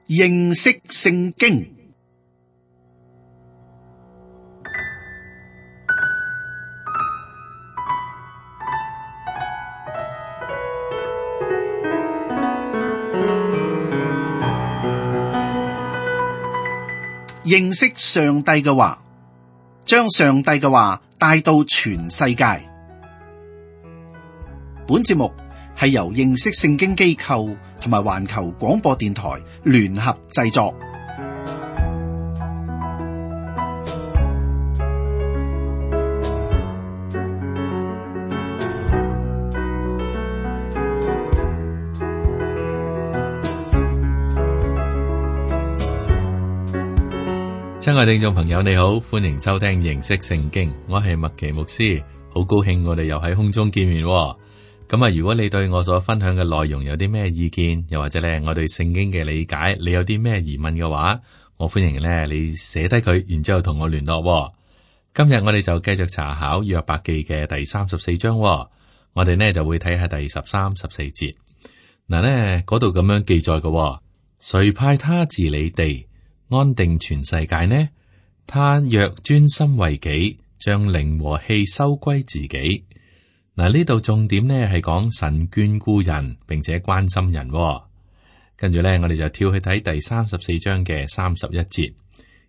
認識聖經。認識上帝嘅話，將上帝嘅話帶到全世界。本節目係由認識聖經機構同埋環球廣播電台聯合製作。親愛聽眾朋友，你好，歡迎收聽認識聖經，我係麥奇牧師，好高興我哋又喺空中見面。咁啊，如果你對我所分享嘅內容有啲咩意見，又或者咧我對聖經嘅理解，你有啲咩疑問嘅話，我歡迎咧你寫低佢，然之後同我聯絡。今日我哋就繼續查考約伯記嘅第34章，我哋呢就會睇下第13、14節。嗱呢嗰度咁樣記載嘅，誰派他治理地，安定全世界呢？他若專心為己，將靈和氣收歸自己。嗱，呢度重點呢係講神眷顧人，並且關心人。跟住呢，我哋就跳去睇第34章嘅31節。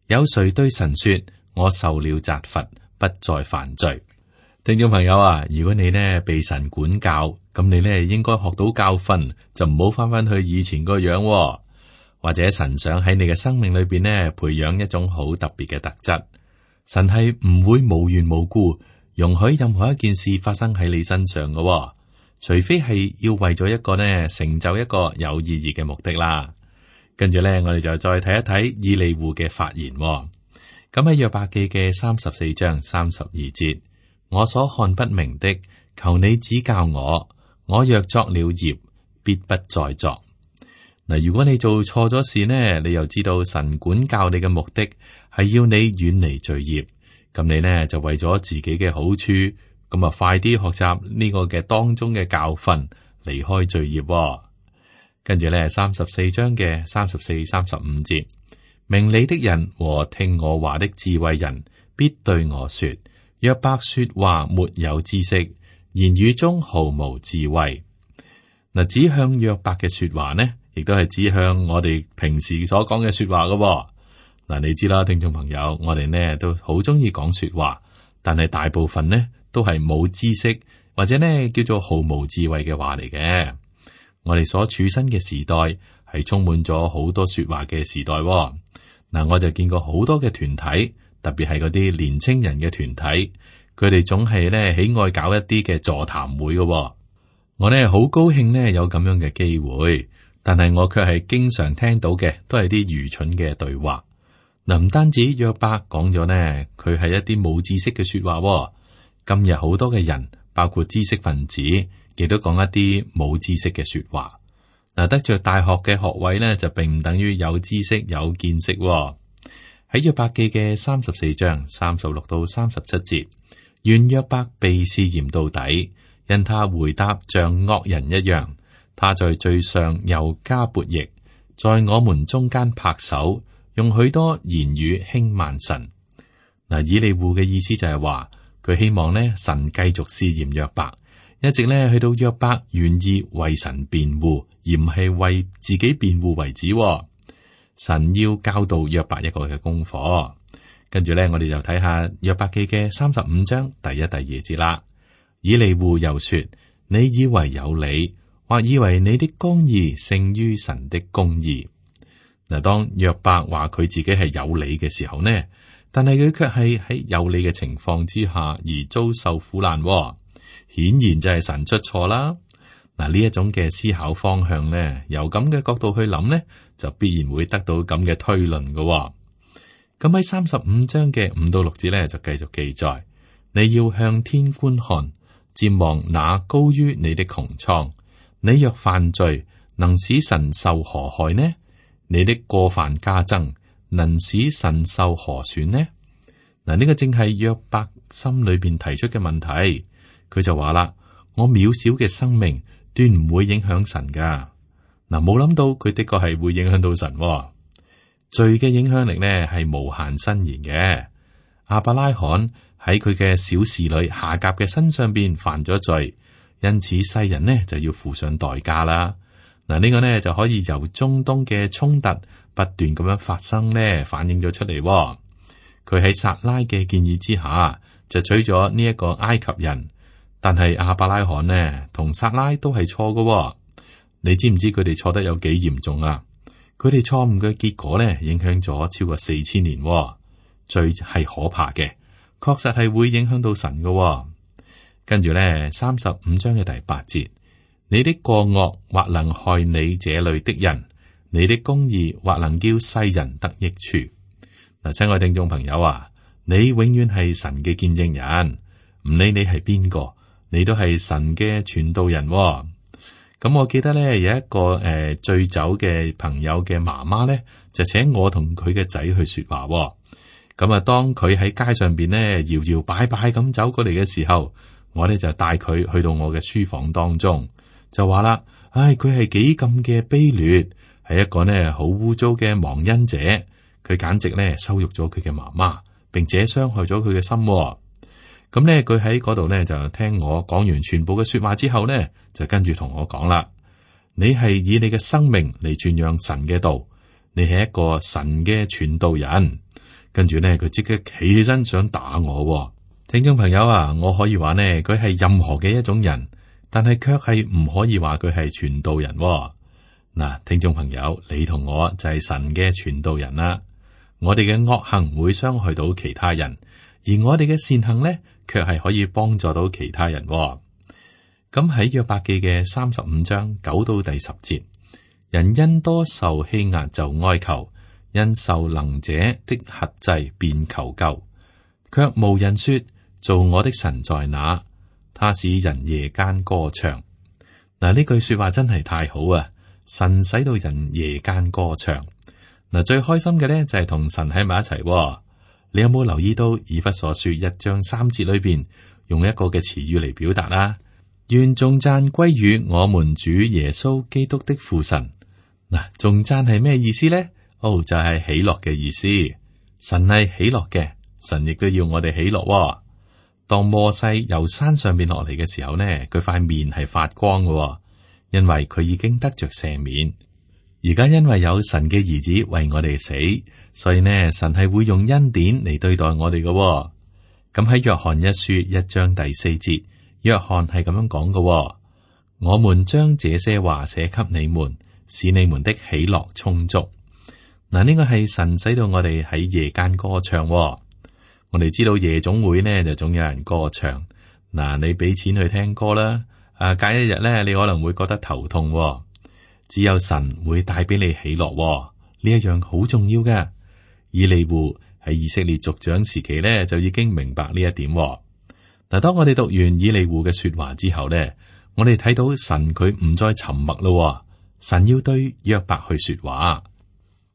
有誰對神說：我受了責罰，不再犯罪？聽眾朋友啊，如果你呢被神管教，咁你呢應該學到教訓，就唔好翻返去以前個樣。或者神想喺你嘅生命裏邊呢，培養一種好特別嘅特質。神係唔會無緣無故容許任何一件事發生喺你身上嘅，除非係要為咗一個呢成就一個有意義嘅目的啦。跟住呢，我哋就再睇一睇以利戶嘅發言。咁喺約伯記嘅34章32節，我所看不明的，求你指教我。我若作了孽，必不再作。嗱，如果你做錯咗事呢，你又知道神管教你嘅目的係要你遠離罪孽，咁你呢就為咗自己嘅好處，咁啊快啲學習呢個嘅當中嘅教訓，離開罪孽。跟住呢34章嘅34、35節，明理的人和聽我話的智慧人，必對我說：約伯說話沒有知識，言語中毫無智慧。嗱，指向約伯嘅說話呢，亦都係指向我哋平時所講嘅說話噶。嗱，你知啦，聽眾朋友，我哋呢都好中意講說話，但係大部分呢都係冇知識或者呢叫做毫無智慧嘅話嚟嘅。我哋所處身嘅時代係充滿咗好多說話嘅時代。嗱，我就見過好多嘅團體，特別係嗰啲年青人嘅團體，佢哋總係呢喜愛搞一啲嘅座談會噶。我呢好高興呢有咁樣嘅機會。但係我卻係經常聽到嘅，都係啲愚蠢嘅對話。嗱，唔單止約伯講咗呢，佢係一啲冇知識嘅說話。今日好多嘅人，包括知識分子，亦都講一啲冇知識嘅說話。嗱，得着大學嘅學位呢，就並唔等於有知識有見識。喺約伯記嘅34章36到37節，願約伯被試驗到底，因他回答像惡人一樣。他在罪上又加悖逆，在我們中間拍手，用許多言語輕慢神。嗱，以利戶嘅意思就係話，佢希望呢神繼續試驗約伯，一直呢去到約伯願意為神辯護，而唔係為自己辯護為止。神要教導約伯一個嘅功課。跟住呢，我哋就睇下約伯記嘅35章第1、第2節啦。以利戶又說：你以為有理，或以為你的公義勝於神的公義。嗱，當約伯話佢自己係有理嘅時候呢，但係佢卻係喺有理嘅情況之下而遭受苦難，顯然就係神出錯啦。嗱，呢一種嘅思考方向呢，由咁嘅角度去諗呢，就必然會得到咁嘅推論嘅。咁喺35章嘅5到6節呢，就繼續記載：你要向天觀看，瞻望那高於你的穹蒼。你若犯罪，能使神受何害呢？你的過犯加增，能使神受何損呢？嗱，呢個正係約伯心裏邊提出嘅問題。佢就話啦：我渺小嘅生命斷唔會影響神噶。嗱，冇諗到佢的確係會影響到神喎。罪嘅影響力呢係無限伸延嘅。亞伯拉罕喺佢嘅小侍女夏甲嘅身上邊犯咗罪，因此世人呢就要付上代價啦。嗱，呢個呢就可以由中東嘅衝突不斷咁樣發生呢反映咗出嚟喎。佢喺撒拉嘅建議之下就娶咗呢一個埃及人，但係亞伯拉罕呢同撒拉都係錯嘅喎。你知唔知佢哋錯得有幾嚴重啊？佢哋錯誤嘅結果呢影響咗超過4000年喎。罪係可怕嘅，確實係會影響到神嘅喎。跟住呢35章嘅第8節，你的過惡或能害你這裏的人，你的公義或能叫世人得益處。嗱，親愛聽眾朋友啊，你永遠係神嘅見證人，唔理你係邊個，你都係神嘅傳道人喎。咁我記得咧有一個醉酒嘅朋友嘅媽媽咧，就請我同佢嘅仔去說話喎。咁啊，當佢喺街上邊咧搖搖擺擺咁走過嚟嘅時候，我咧就帶佢去到我嘅書房當中，就話啦：唉，佢係幾咁嘅卑劣，係一個呢好污糟嘅忘恩者，佢簡直咧羞辱咗佢嘅媽媽，並且傷害咗佢嘅心喎。咁咧，佢喺嗰度咧就聽我講完全部嘅說話之後咧，就跟住同我講啦：你係以你嘅生命嚟傳揚神嘅道，你係一個神嘅傳道人。跟住咧，佢即刻企起身想打我喎。聽眾朋友啊，我可以話呢，佢係任何嘅一種人，但係卻係唔可以話佢係傳道人喎。嗱，聽眾朋友，你同我就係神嘅傳道人啦。我哋嘅惡行會傷害到其他人，而我哋嘅善行呢，卻係可以幫助到其他人喎。咁喺約伯記嘅35章9到第10節，人因多受欺壓就哀求，因受能者的轄制便求救，卻無人說：造我的神在哪？他使人夜間歌唱。嗱，呢句說話真係太好啊！神使到人夜間歌唱。嗱，最開心嘅咧就係同神喺埋一齊喎。你有冇留意到以弗所書1章3節裏邊用一個嘅詞語嚟表達啊？願頌讚歸於我們主耶穌基督的父神。嗱，頌讚係咩意思咧？就係喜樂嘅意思。神係喜樂嘅，神亦都要我哋喜樂喎。當摩西由山上邊落嚟嘅時候呢，佢塊面係發光嘅喎，因為佢已經得着赦免。而家因為有神嘅兒子為我哋死，所以呢，神係會用恩典嚟對待我哋嘅喎。咁喺約翰一書1章第4節，約翰係咁樣講嘅喎：我們將這些話寫給你們，使你們的喜樂充足。嗱，呢個係神使到我哋喺夜間歌唱喎。我哋知道夜總會呢就總有人歌唱。嗱，你俾錢去聽歌啦，隔一日咧你可能會覺得頭痛喎。只有神會帶俾你喜樂喎，呢一樣好重要嘅。以利戶喺以色列族長時期咧就已經明白呢一點喎。嗱，當我哋讀完以利戶嘅說話之後咧，我哋睇到神佢唔再沉默咯，神要對約伯去說話。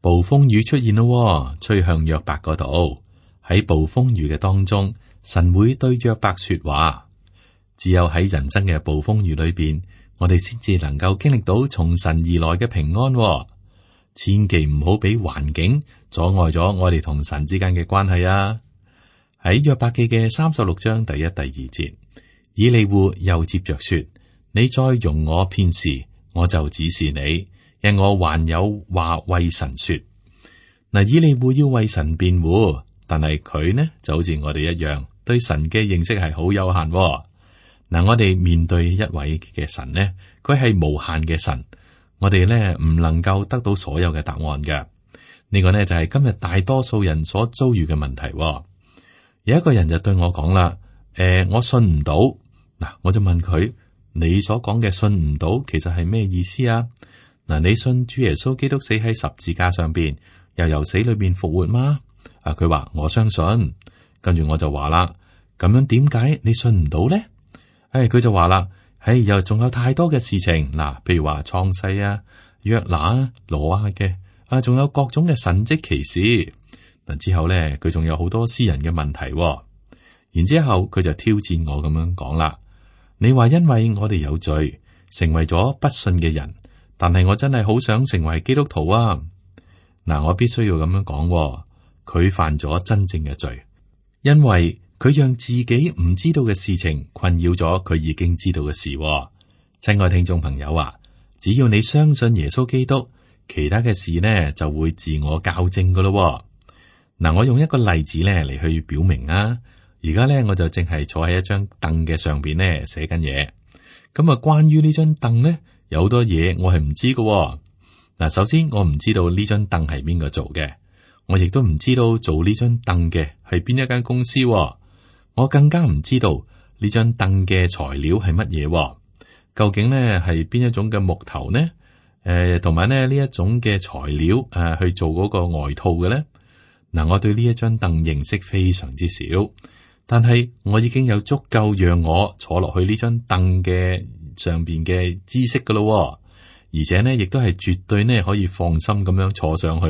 暴風雨出現咯，吹向約伯嗰度。喺暴風雨嘅當中，神會對約伯說話。只有喺人生嘅暴風雨裏邊，我哋先至能夠經歷到從神而來嘅平安喎。千祈唔好俾環境阻礙咗我哋同神之間嘅關係啊！喺約伯記嘅36章第1、第2節，以利戶又接着說：你再容我片時，我就指示你。因我還有話為神說。嗱，以利戶要為神辯護，但係佢呢就好似我哋一樣，對神嘅認識係好有限。嗱，我哋面對一位嘅神呢，佢係無限嘅神，我哋呢唔能夠得到所有嘅答案嘅。呢個呢就係今日大多數人所遭遇嘅問題。有一個人就對我講啦：我信唔到。嗱，我就問佢：你所講嘅信唔到，其實係咩意思啊？嗱，你信主耶穌基督死喺十字架上邊，又由死裏邊復活嗎？佢話我相信。跟住我就話啦：咁樣點解你信唔到咧？佢就話啦：又仲有太多嘅事情，嗱，譬如話創世啊、約拿啊、挪亞嘅，仲有各種嘅神蹟奇事。嗱，之後咧，佢仲有好多私人嘅問題。然之後佢就挑戰我咁樣講啦：你話因為我哋有罪，成為咗不信嘅人。但係我真係好想成為基督徒啊！嗱，我必須要咁樣講，佢犯咗真正嘅罪，因為佢讓自己唔知道嘅事情困擾咗佢已經知道嘅事。親愛聽眾朋友啊，只要你相信耶穌基督，其他嘅事呢就會自我校正噶咯。嗱，我用一個例子咧嚟去表明啊。而家咧我就淨係坐喺一張凳嘅上邊咧寫緊嘢。咁啊，關於呢張凳咧，有好多嘢我係唔知噶。嗱，首先我唔知道呢張凳係邊個做嘅，我亦都唔知道做呢張凳嘅係邊一間公司。我更加唔知道呢張凳嘅材料係乜嘢，究竟咧係邊一種嘅木頭呢？同埋呢一種嘅材料去做嗰個外套嘅咧。嗱，我對呢一張凳認識非常之少，但係我已經有足夠讓我坐落去呢張凳嘅上邊嘅知識噶咯，而且呢亦都係絕對呢可以放心咁樣坐上去。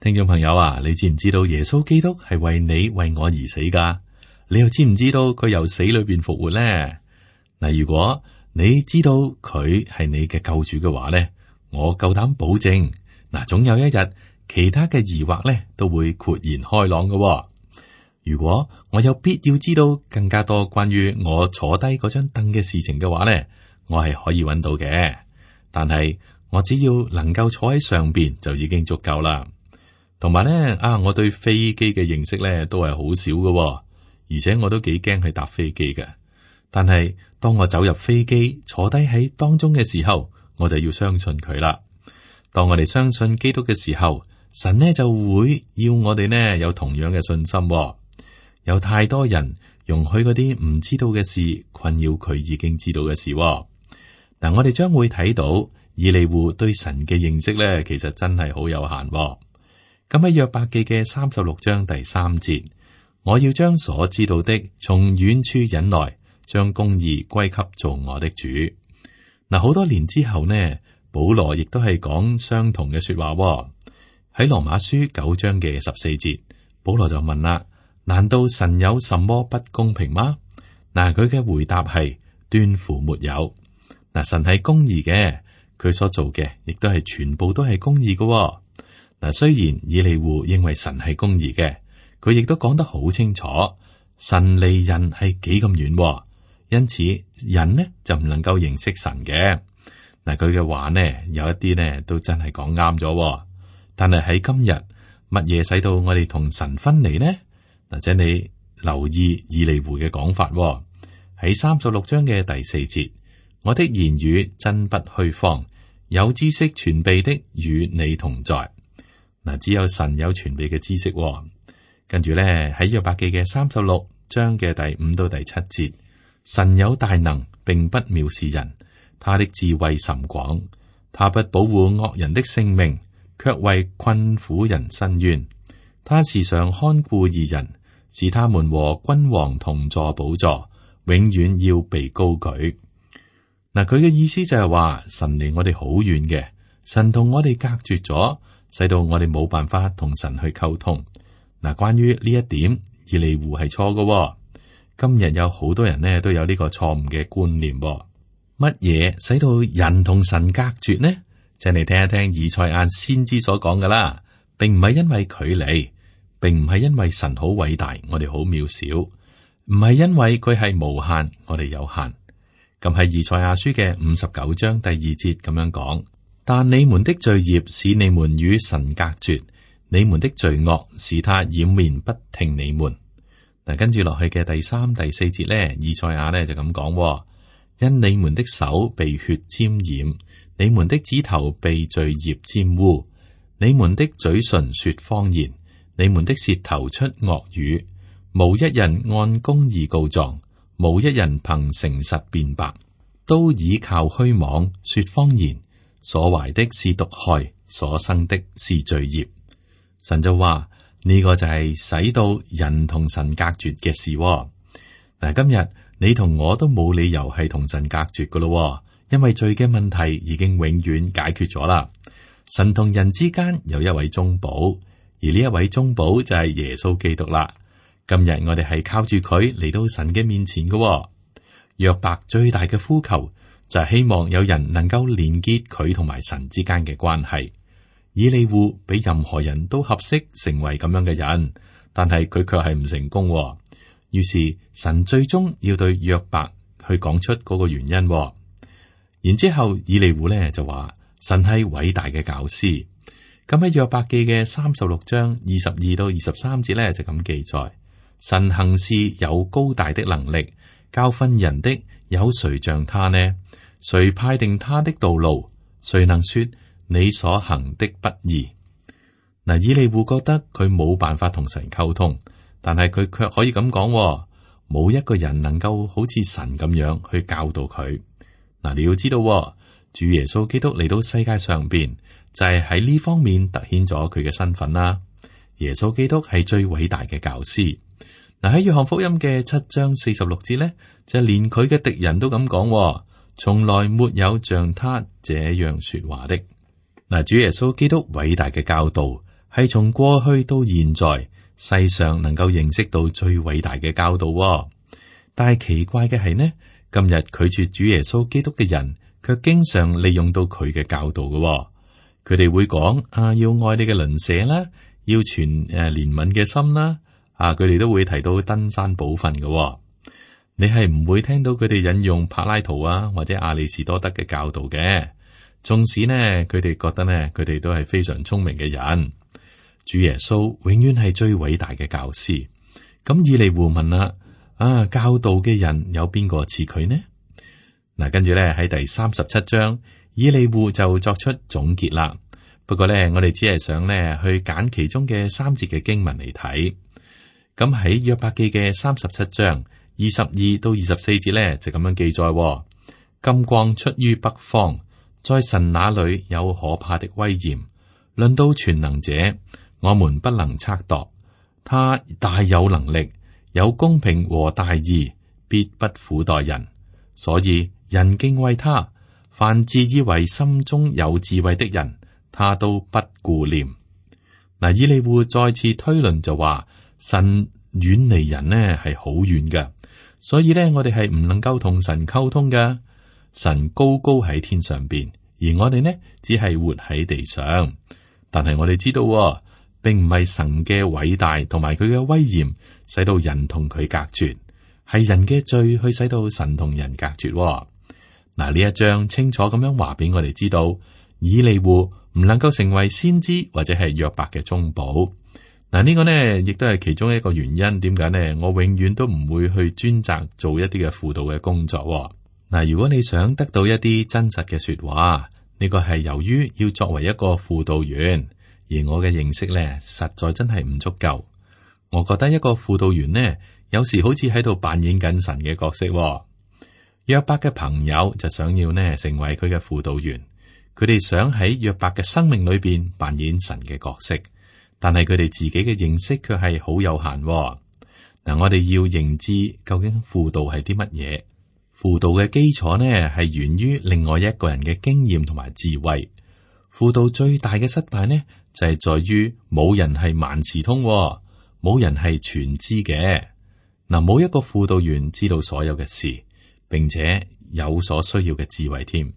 聽眾朋友啊，你知唔知道耶穌基督係為你為我而死噶？你又知唔知道佢由死裏邊復活呢？嗱，如果你知道佢係你嘅救主嘅話呢，我夠膽保證，嗱，總有一日其他嘅疑惑呢都會豁然開朗嘅。如果我有必要知道更加多關於我坐低嗰張凳嘅事情嘅話呢，我係可以揾到嘅。但係我只要能夠坐喺上邊就已經足夠啦。同埋呢，我對飛機嘅認識呢都係好少嘅，而且我都幾驚去搭飛機嘅。但係當我走入飛機坐低喺當中嘅時候，我就要相信佢啦。當我哋相信基督嘅時候，神呢就會要我哋呢有同樣嘅信心。有太多人容許嗰啲唔知道嘅事困擾佢已經知道嘅事。嗱，我哋將會睇到以利戶對神嘅認識呢，其實真係好有限。咁喺約伯記嘅36章第3節，我要將所知道的從遠處引來，將公義歸給造我的主。嗱，好多年之後呢，保羅亦都係講相同嘅說話。喺羅馬書9章嘅14節，保羅就問啦：難道神有什麼不公平嗎？嗱，佢嘅回答係斷乎沒有。嗱，神係公義嘅，佢所做嘅亦都係全部都係公義嘅。嗱，雖然以利戶認為神係公義嘅，佢亦都講得好清楚，神離人係幾咁遠，因此人呢就唔能夠認識神嘅。嗱，佢嘅話呢有一啲呢都真係講啱咗，但係喺今日乜嘢使到我哋同神分離呢？或者你留意以利戶嘅講法，喺36章嘅第4節，我的言語真不虛謊，有知識全備的與你同在。嗱，只有神有全備嘅知識。跟住咧喺約伯記嘅36章嘅第5到第7節，神有大能，並不藐視人，他的智慧甚廣，他不保護惡人的性命，卻為困苦人伸冤。他時常看顧義人，使他們和君王同坐寶座，永遠要被高舉。嗱，佢嘅意思就係話神離我哋好遠嘅，神同我哋隔絕咗，使到我哋冇辦法同神去溝通。嗱，關於呢一點，以利戶係錯嘅。今日有好多人呢都有呢個錯誤嘅觀念。乜嘢使到人同神隔絕呢？請你聽一聽以賽亞先知所講噶啦，並唔係因為距離，並唔係因為神好偉大，我哋好渺小，唔係因為佢係無限，我哋有限。咁喺以賽亞書嘅59章第2節咁樣講，但你們的罪孽使你們與神隔絕，你們的罪惡使他掩面不聽你們。嗱，跟住落去嘅第3、第4節呢，以賽亞呢就咁講，因你們的手被血沾染，你們的指頭被罪孽沾污，你們的嘴唇說謊言，你們的舌頭出惡語，無一人按公義告狀，無一人憑誠實辯白，都倚靠虛妄說謊言，所懷的是毒害，所生的是罪孽。神就話呢個就係使到人同神隔絕嘅事。嗱，今日你同我都冇理由係同神隔絕噶咯，因為罪嘅問題已經永遠解決咗啦。神同人之間有一位中保，而呢一位中保就係耶穌基督啦。今日我哋係靠住佢嚟到神嘅面前嘅。約伯最大嘅呼求就係希望有人能夠連結佢同埋神之間嘅關係。以利戶比任何人都合適成為咁樣嘅人，但係佢卻係唔成功。於是神最終要對約伯去講出嗰個原因。然之後以利戶呢就話神係偉大嘅教師。咁喺約伯記嘅36章22到23節呢就咁記載：神行事有高大的能力，教訓人的有誰像他呢？誰派定他的道路？誰能說你所行的不義？嗱，以利戶覺得佢冇辦法同神溝通，但係佢卻可以咁講：冇一個人能夠好似神咁樣去教導佢。嗱，你要知道，主耶穌基督嚟到世界上邊，就係喺呢方面凸顯咗佢嘅身份啦。耶穌基督係最偉大嘅教師。嗱，喺約翰福音嘅7章46節呢，就連佢嘅敵人都咁講：從來沒有像他這樣說話的。嗱，主耶穌基督偉大嘅教導係從過去到現在世上能夠認識到最偉大嘅教導。但係奇怪嘅係呢，今日拒絕主耶穌基督嘅人，卻經常利用到佢嘅教導嘅。佢哋會講要愛你嘅鄰舍啦，要存憐憫嘅心啦。佢哋都會提到登山寶訓嘅。你係唔會聽到佢哋引用柏拉圖或者亞里士多德嘅教導嘅。縱使呢，佢哋覺得呢，佢哋都係非常聰明嘅人。主耶穌永遠係最偉大嘅教師。咁以利戶問啦：教導嘅人有邊個似佢呢？嗱，跟住咧喺第37章，以利戶就作出總結啦。不過咧，我哋只係想咧去揀其中嘅3節嘅經文嚟睇。咁喺約伯記嘅37章22到24節咧就咁樣記載：金光出於北方，在神那裏有可怕的威嚴。論到全能者，我們不能測度。他大有能力，有公平和大義，必不苦待人。所以人敬畏他，凡自以為心中有智慧的人，他都不顧念。嗱，以利戶再次推論就話，神遠離人呢係好遠嘅，所以呢，我哋係唔能夠同神溝通嘅。神高高喺天上邊，而我哋呢只係活喺地上。但係我哋知道，並唔係神嘅偉大同埋佢嘅威嚴使到人同佢隔絕，係人嘅罪去使到神同人隔絕。嗱，呢一章清楚咁樣話俾我哋知道，以利戶唔能夠成為先知或者係約伯嘅中保。嗱，呢個呢亦都係其中一個原因，點解呢？我永遠都唔會去專責做一啲嘅輔導嘅工作。嗱，如果你想得到一啲真實嘅說話，呢個係由於要作為一個輔導員，而我嘅認識呢，實在真係唔足夠。我覺得一個輔導員呢，有時好似喺度扮演緊神嘅角色。約伯嘅朋友就想要呢成為佢嘅輔導員，佢哋想喺約伯嘅生命裏邊扮演神嘅角色，但係佢哋自己嘅認識卻係好有限。嗱，我哋要認知究竟輔導係啲乜嘢？輔導嘅基礎呢係源於另外一個人嘅經驗同埋智慧。輔導最大嘅失敗呢，就係在於冇人係萬事通，冇人係全知嘅。嗱，冇一個輔導員知道所有嘅事，並且有所需要嘅智慧添。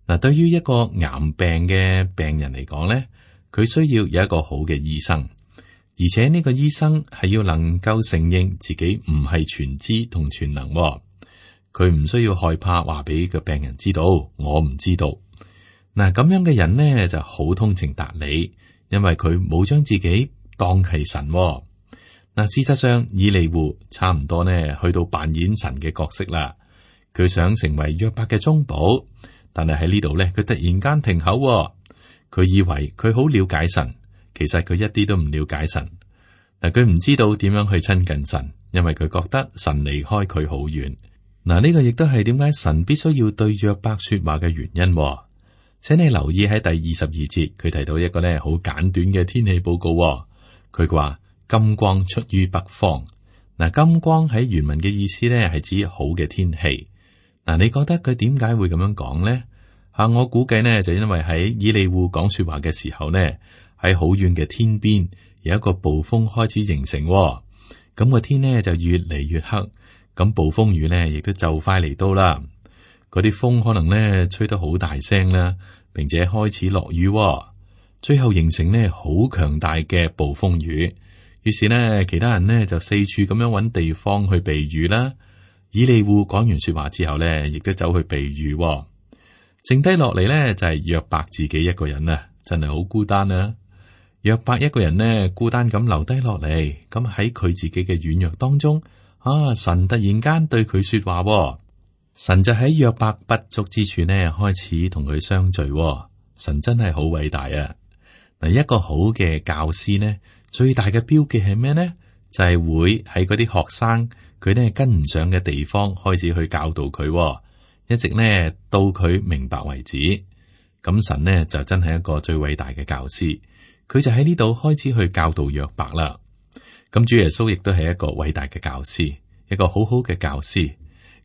嗱，對於一個癌病嘅病人嚟講呢，佢需要有一個好嘅醫生，而且呢個醫生係要能夠承認自己唔係全知同全能。佢唔需要害怕話俾個病人知道，我唔知道。嗱，咁樣嘅人呢就好通情達理，因為佢冇將自己當係神。嗱，事實上以利戶差唔多呢去到扮演神嘅角色啦。佢想成為約伯嘅中保，但係喺呢度呢，佢突然間停口。佢以為佢好了解神，其實佢一啲都唔了解神。嗱，佢唔知道點樣去親近神，因為佢覺得神離開佢好遠。嗱，呢個亦都係點解神必須要對約伯說話嘅原因。請你留意喺第22節，佢提到一個呢好簡短嘅天氣報告。佢話金光出於北方。嗱，金光喺原文嘅意思呢係指好嘅天氣。嗱，你覺得佢點解會咁樣講呢？我估計呢就因為喺以利戶講說話嘅時候呢，喺好遠嘅天邊有一個暴風開始形成。咁個天呢就越嚟越黑。咁暴風雨呢，亦都就快嚟到啦。嗰啲風可能呢吹得好大聲啦，並且開始落雨，最後形成呢好強大嘅暴風雨。於是呢，其他人呢就四處咁樣揾地方去避雨啦。以利戶講完說話之後呢，亦都走去避雨。剩低落嚟呢，就係約伯自己一個人啊，真係好孤單啊！約伯一個人呢，孤單咁留低落嚟，咁喺佢自己嘅軟弱當中，神突然間對佢說話，神就喺約伯不足之處呢，開始同佢相聚。神真係好偉大啊！嗱，一個好嘅教師呢，最大嘅標記係咩呢？就係會喺嗰啲學生佢呢跟唔上嘅地方開始去教導佢，一直呢到佢明白為止。咁神呢就真係一個最偉大嘅教師，佢就喺呢度開始去教導約伯啦。咁主耶穌亦都係一個偉大嘅教師，一個好好嘅教師。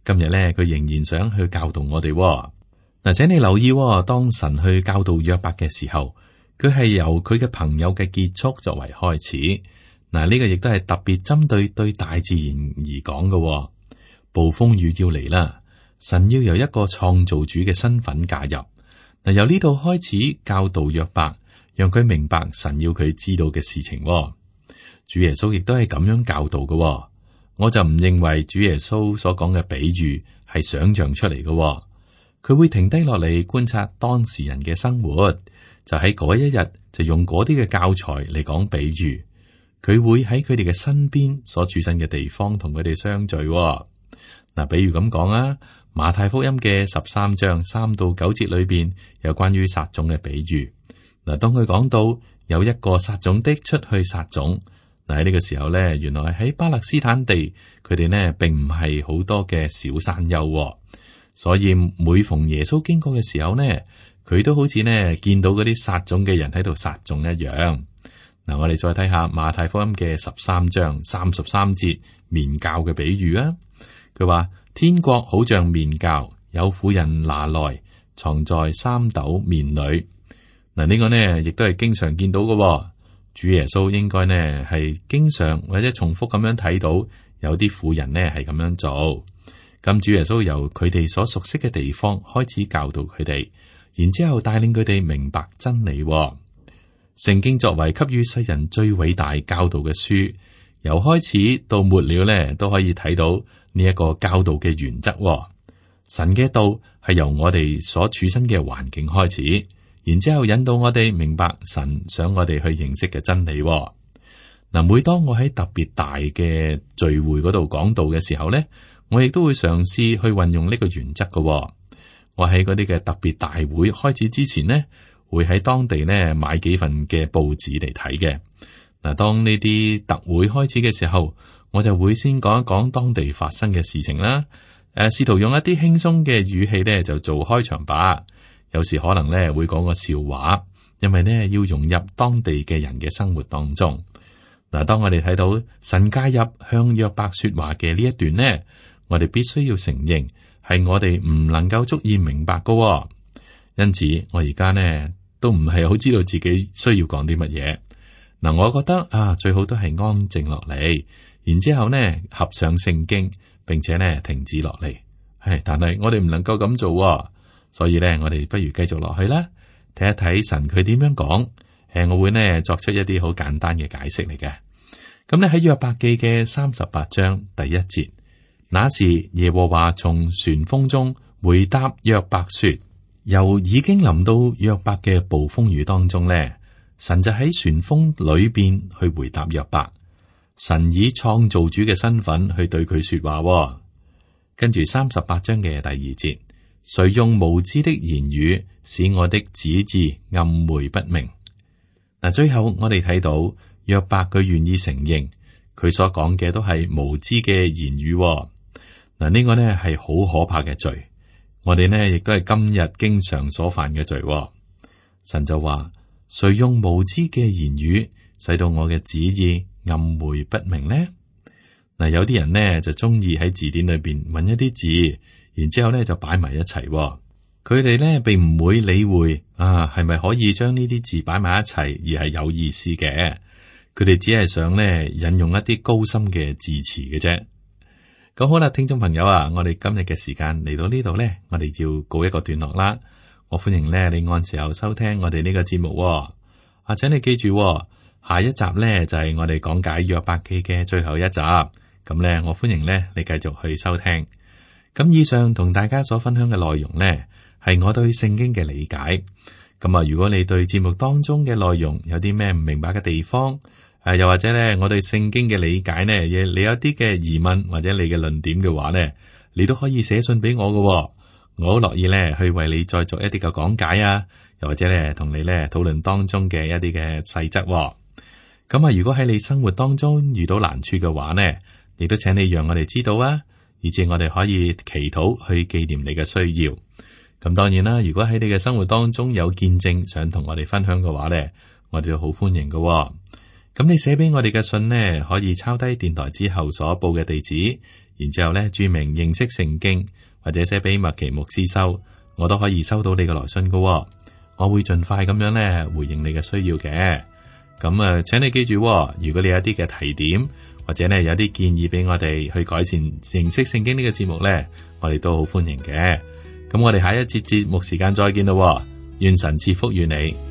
今日呢，佢仍然想去教導我哋。嗱，請你留意，當神去教導約伯嘅時候，佢係由佢嘅朋友嘅結束作為開始。嗱，呢個亦都係特別針對大自然而講嘅。暴風雨要嚟啦，神要由一個創造主嘅身份介入。嗱，由呢度開始教導約伯，讓佢明白神要佢知道嘅事情。主耶穌亦都係咁樣教導嘅。我就唔認為主耶穌所講嘅比喻係想象出嚟嘅。佢會停低落嚟觀察當時人嘅生活，就喺嗰一日就用嗰啲嘅教材嚟講比喻。佢會喺佢哋嘅身邊所處身嘅地方同佢哋相聚。嗱，比如咁講啊，馬太福音嘅13章3到9節裏邊有關於撒種嘅比喻。嗱，當佢講到有一個撒種的出去撒種，嗱，喺呢個時候咧，原來喺巴勒斯坦地，佢哋呢並唔係好多嘅小山丘，所以每逢耶穌經過嘅時候呢，佢都好似呢見到嗰啲撒種嘅人喺度撒種一樣。嗱，我哋再睇下馬太福音嘅13章33節麵酵嘅比喻啊。佢話天國好像麵酵，有婦人拿來藏在3斗麵裏。嗱，呢個呢亦都係經常見到嘅。主耶穌應該呢係經常或者重複咁樣睇到有啲婦人呢係咁樣做。咁主耶穌由佢哋所熟悉嘅地方開始教導佢哋，然之後帶領佢哋明白真理。聖經作為給予世人最偉大教導嘅書，由開始到末了呢都可以睇到呢一個教導嘅原則。神嘅道係由我哋所處身嘅環境開始，然之後引導我哋明白神想我哋去認識嘅真理。嗱，每當我喺特別大嘅聚會嗰度講道嘅時候呢，我亦都會嘗試去運用呢個原則嘅。我喺嗰啲嘅特別大會開始之前呢，會喺當地呢買幾份嘅報紙嚟睇嘅。嗱，當呢啲特會開始嘅時候，我就會先講一講當地發生嘅事情啦。試圖用一啲輕鬆嘅語氣呢就做開場白。有時可能呢會講個笑話，因為呢要融入當地嘅人嘅生活當中。嗱，當我哋睇到神介入向約伯說話嘅呢一段呢，我哋必須要承認係我哋唔能夠足以明白㗎。因此，我而家呢都唔係好知道自己需要講啲乜嘢。嗱，我覺得最好都係安靜落嚟，然之後呢合上聖經，並且呢停止落嚟。但係我哋唔能夠咁做，所以呢，我哋不如繼續落去啦，睇一睇神佢點樣講。我會呢作出一啲好簡單嘅解釋嚟嘅。咁呢喺約伯記嘅38章第1節，那時耶和華從旋風中回答約伯說，由已經臨到約伯嘅暴風雨當中呢，神就喺旋風裏邊去回答約伯。神以創造主嘅身份去對佢說話。跟住38章嘅第2節，誰用無知的言語使我的旨意暗昧不明？嗱，最後我哋睇到約伯佢願意承認佢所講嘅都係無知嘅言語。嗱，呢個呢係好可怕嘅罪，我哋呢亦都係今日經常所犯嘅罪。神就話：誰用無知嘅言語使到我嘅旨意暗昧不明呢？嗱，有啲人呢就中意喺字典裏邊揾一啲字，然之後呢就擺埋一齊。佢哋呢並唔會理會係咪可以將呢啲字擺埋一齊而係有意思嘅。佢哋只係想呢引用一啲高深嘅字詞嘅啫。咁好啦，聽眾朋友啊，我哋今日嘅時間嚟到呢度呢，我哋要告一個段落啦。我歡迎呢你按時候收聽我哋呢個節目。請你記住，下一集呢就係我哋講解約伯記嘅最後一集。咁呢，我歡迎呢你繼續去收聽。咁以上同大家所分享嘅內容呢，係我對聖經嘅理解。咁啊，如果你對節目當中嘅內容有啲咩唔明白嘅地方，又或者咧，我對聖經嘅理解呢，你有啲嘅疑問或者你嘅論點嘅話呢，你都可以寫信俾我嘅。我好樂意咧去為你再做一啲嘅講解啊，又或者咧同你咧討論當中嘅一啲嘅細則。咁啊，如果喺你生活當中遇到難處嘅話呢，亦都請你讓我哋知道啊，以至我哋可以祈禱去紀念你嘅需要。咁當然啦，如果喺你嘅生活當中有見證想同我哋分享嘅話呢，我哋都好歡迎嘅。咁你寫俾我哋嘅信呢，可以抄低電台之後所報嘅地址，然之後呢注明認識聖經，或者寫俾麥奇牧師收，我都可以收到你嘅來信嘅。我會盡快咁樣呢回應你嘅需要嘅。咁啊，請你記住，如果你有一啲嘅提點，或者呢有啲建議俾我哋去改善認識聖經呢個節目呢，我哋都好歡迎嘅。咁我哋下一節節目時間再見咯，願神賜福與你。